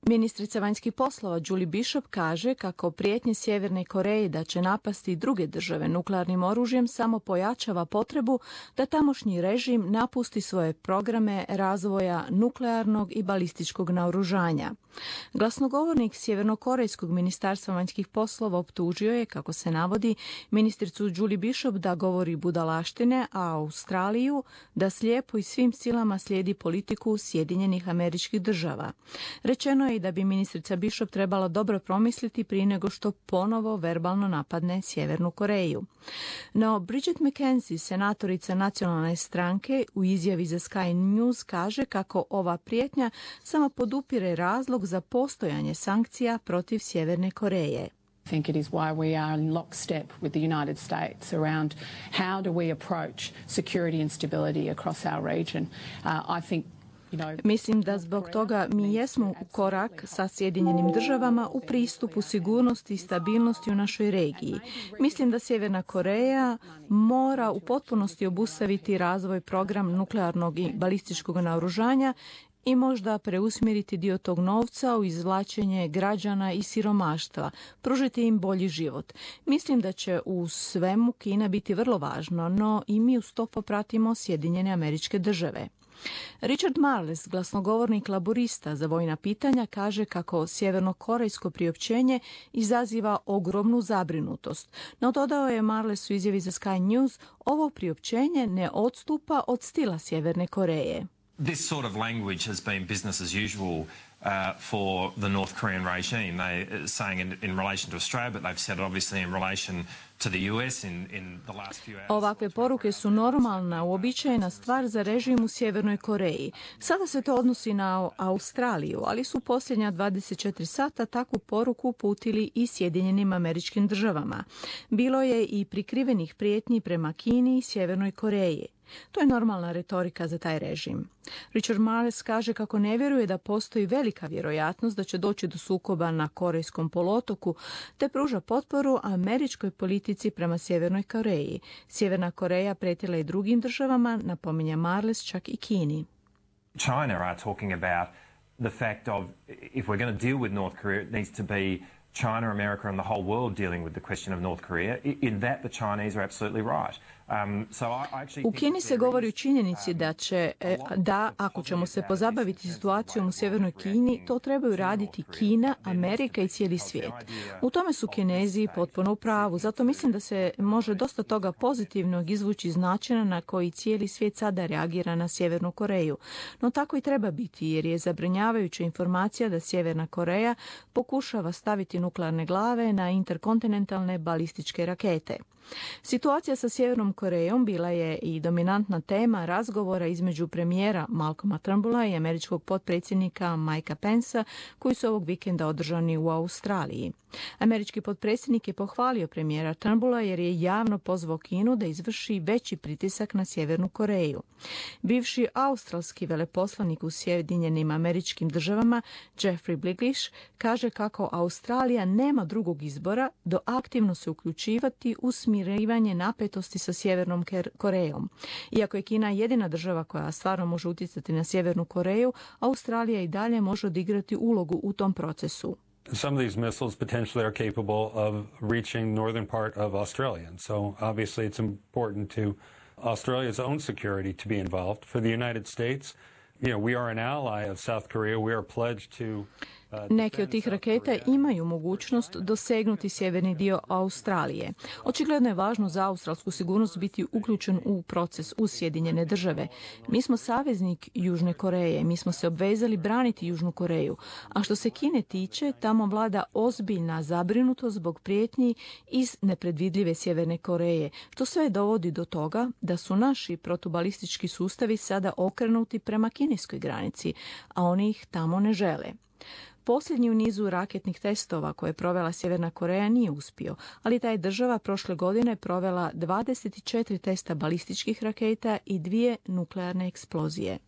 Ministrica vanjskih poslova Julie Bishop kaže kako prijetnje Sjeverne Koreje da će napasti druge države nuklearnim oružjem samo pojačava potrebu da tamošnji režim napusti svoje programe razvoja nuklearnog i balističkog naoružanja. Glasnogovornik Sjevernokorejskog ministarstva vanjskih poslova optužio je, kako se navodi, ministricu Julie Bishop da govori budalaštine, a Australiju da slijepo i svim silama slijedi politiku Sjedinjenih Američkih Država. Rečeno je i da bi ministrica Bishop trebala dobro promisliti prije nego što ponovo verbalno napadne Sjevernu Koreju. No, Bridget McKenzie, senatorica nacionalne stranke, u izjavi za Sky News kaže kako ova prijetnja samo podupire razlog za postojanje sankcija protiv Sjeverne Koreje. I think it is why we are in lockstep with the United States around how do we approach security and stability across our region. I think Mislim da zbog toga mi jesmo u korak sa Sjedinjenim državama u pristupu sigurnosti i stabilnosti u našoj regiji. Mislim da Sjeverna Koreja mora u potpunosti obustaviti razvoj program nuklearnog i balističkog naoružanja i možda preusmjeriti dio tog novca u izvlačenje građana iz siromaštva, pružiti im bolji život. Mislim da će u svemu Kina biti vrlo važno, no i mi uz to popratimo Sjedinjene Američke Države. Richard Marles, glasnogovornik laborista za vojna pitanja, kaže kako sjevernokorejsko priopćenje izaziva ogromnu zabrinutost. No, dodao je Marles u izjavi za Sky News, ovo priopćenje ne odstupa od stila Sjeverne Koreje. This sort of language has been business as usual for the North Korean regime. They saying in relation to Australia, but they've said it obviously in relation to the US in the last few hours. Ovakve poruke su normalna, uobičajena stvar za režim u Sjevernoj Koreji. Sada se to odnosi na Australiju, ali su posljednja 24 sata takvu poruku uputili i Sjedinjenim Američkim Državama. Bilo je i prikrivenih prijetnji prema Kini i Sjevernoj Koreji. To je normalna retorika za taj režim. Richard Marles kaže kako ne vjeruje da postoji velika vjerojatnost da će doći do sukoba na Korejskom poluotoku, te pruža potporu američkoj politici prema Sjevernoj Koreji. Sjeverna Koreja prijetila i drugim državama, napominje Marles, čak i Kini. China are talking about the fact of if we're going to deal with North Korea, it needs to be China, America and the whole world dealing with the question of North Korea. In that the Chinese are absolutely right. U Kini se govori o činjenici da ako ćemo se pozabaviti situacijom u Sjevernoj Kini, to trebaju raditi Kina, Amerika i cijeli svijet. U tome su Kinezi potpuno u pravu, zato mislim da se može dosta toga pozitivnog izvući iz načina na koji cijeli svijet sada reagira na Sjevernu Koreju. No tako i treba biti, jer je zabrinjavajuća informacija da Sjeverna Koreja pokušava staviti nuklearne glave na interkontinentalne balističke rakete. Situacija sa Sjevernom Korejom bila je i dominantna tema razgovora između premijera Malcolma Turnbulla i američkog potpredsjednika Mikea Pencea, koji su ovog vikenda održani u Australiji. Američki potpredsjednik je pohvalio premijera Turnbulla jer je javno pozvao Kinu da izvrši veći pritisak na Sjevernu Koreju. Bivši australski veleposlanik u Sjedinjenim Američkim Državama Jeffrey Bliglish kaže kako Australija nema drugog izbora do aktivno se uključivati u smirivanje napetosti sa Sjevernom Korejom. Iako je Kina jedina država koja stvarno može utjecati na Sjevernu Koreju, Australija i dalje može odigrati ulogu u tom procesu. Some of these missiles potentially are capable of reaching northern part of Australia. And so obviously it's important to Australia's own security to be involved. For the United States, we are an ally of South Korea. We are pledged to Neke od tih raketa imaju mogućnost dosegnuti sjeverni dio Australije. Očigledno je važno za australsku sigurnost biti uključen u proces uz Sjedinjene države. Mi smo saveznik Južne Koreje, mi smo se obvezali braniti Južnu Koreju, a što se Kine tiče, tamo vlada ozbiljna zabrinutost zbog prijetnji iz nepredvidljive Sjeverne Koreje, što sve dovodi do toga da su naši protubalistički sustavi sada okrenuti prema kineskoj granici, a oni ih tamo ne žele. Posljednji u nizu raketnih testova koje je provela Sjeverna Koreja nije uspio, ali ta je država prošle godine provela 24 testa balističkih raketa i 2 nuklearne eksplozije.